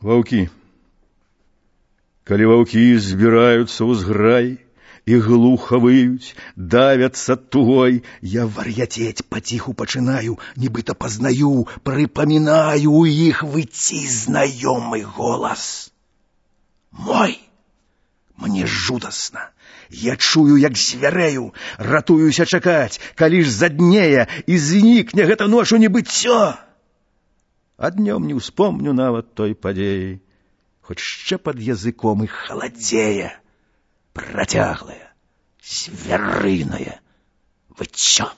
Ваўкі. Калі ваўкі збіраюцца ў зграй і глуха выюць, давяцца тугой, я вар'яцець паціху пачынаю, нібыта пазнаю, прыпамінаю у іх выйти знаёмы голас. Мой! Мне жудасна. Я чую, як звярэю, ратуюся чакаць, калі ж заднее і знікне гэта ноч у небыццё. А днём не ўспомню нават той падзеі, хоць ще пад языком і халадзее працяглае, звярынае выццё.